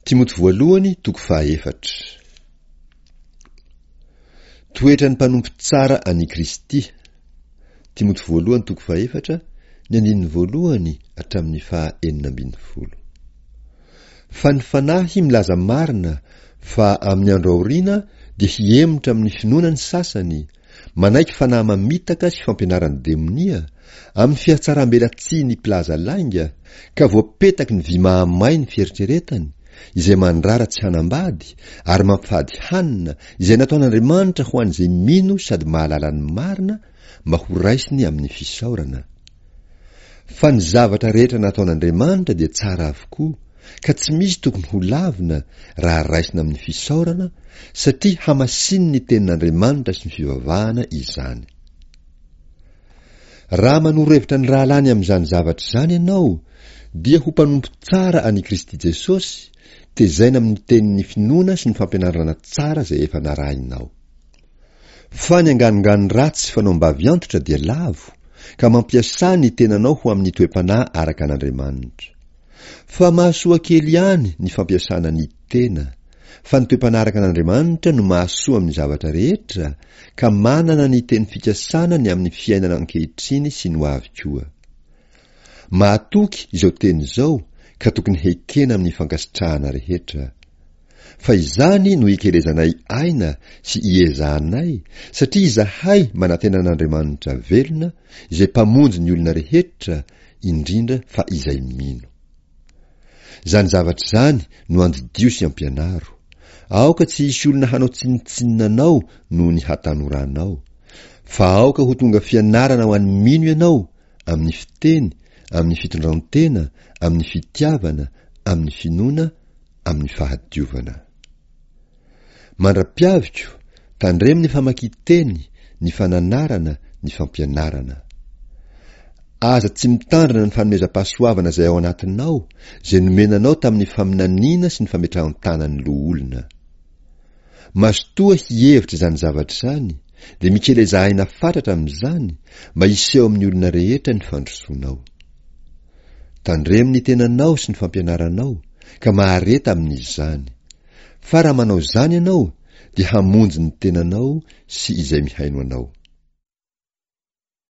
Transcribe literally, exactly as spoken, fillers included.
Timoty voalohany toko fahaefatra. Toetran'ny mpanompo tsara an'i Kristy. Timoty voalohany toko fahaefatra, ny andininy voalohany hatramin'ny faha enina ambin'ny folo. Fa ny Fanahy milaza marina fa amin'ny andro aoriana dia hihemotra amin'ny finoana ny sasany, manaiky fanahy mamitaka sy fampianaran'ny demonia, amin'ny fihatsaram-belatsihin'ny mpilaza lainga, ka voapetaky ny vy mahamay ny fieritreretany, izay mandrara tsy hanambady, ary mampifady hanina, izay nataon'Andriamanitra ho an'izay mino sady mahalala ny marina, mba horaisiny amin'ny fisaorana. Fa ny zavatra rehetra nataon'Andriamanitra dia tsara avokoa, ka tsy misy tokony ho lavina raha raisina amin'ny fisaorana, satria hamasinin'ny tenin'Andriamanitra sy ny fivavahana izany. Raha manoro hevitra ny rahalahiny amin'izany zavatra izany ianao, dia ho mpanompo tsara an'i Kristy Jesosy, tezaina amin'ny tenin'ny finoana sy ny fampianarana tsara izay efa narahinao. Fa ny anganongano ratsy sy fanaom-bavy antitra dia lavo, ka mampiasà ny tenanao ho amin'ny toe-panahy araka an'Andriamanitra. Fa mahasoa kely ihany ny fampiasana ny tena, fa ny toe-panahy araka an'Andriamanitra no mahasoa amin'ny zavatra rehetra, ka manana ny teny fikasana ny amin'ny fiainana ankehitriny sy ny ho avy koa. Mahatoky izao teny izao ka tokony hekena amin'ny fankasitrahana rehetra. Fa izany no ikelezanay aina sy iezahanay, satria izahay manantena an'Andriamanitra velona, izay Mpamonjy ny olona rehetra, indrindra fa izay mino. Izany zavatra izany no andidio sy ampianaro. Aoka tsy hisy olona hanao tsinontsinona anao noho ny hatanoranao. Fa aoka ho tonga fianarana ho an'ny mino ianao, amin'ny fiteny, amin'ny fitondran-tena, amin'ny fitiavana, amin'ny finoana, amin'ny fahadiovana. Mandra-piaviko, tandremo ny famakian-teny, ny fananarana, ny fampianarana. Aza tsy mitandrina ny fanomezam-pahasoavana izay ao anatinao, izay nomena anao tamin'ny faminaniana sy ny fametrahan-tanan'ny loholona. Mazotoa hihevitra izany zavatra izany, dia mikeleza aina fatratra amin'izany, mba hiseho amin'ny olona rehetra ny fandrosoanao. Tandremo ny tenanao sy ny fampianaranao, ka mahareta amin'izany. Fa raha manao izany ianao, dia hamonjy ny tenanao sy izay mihaino anao.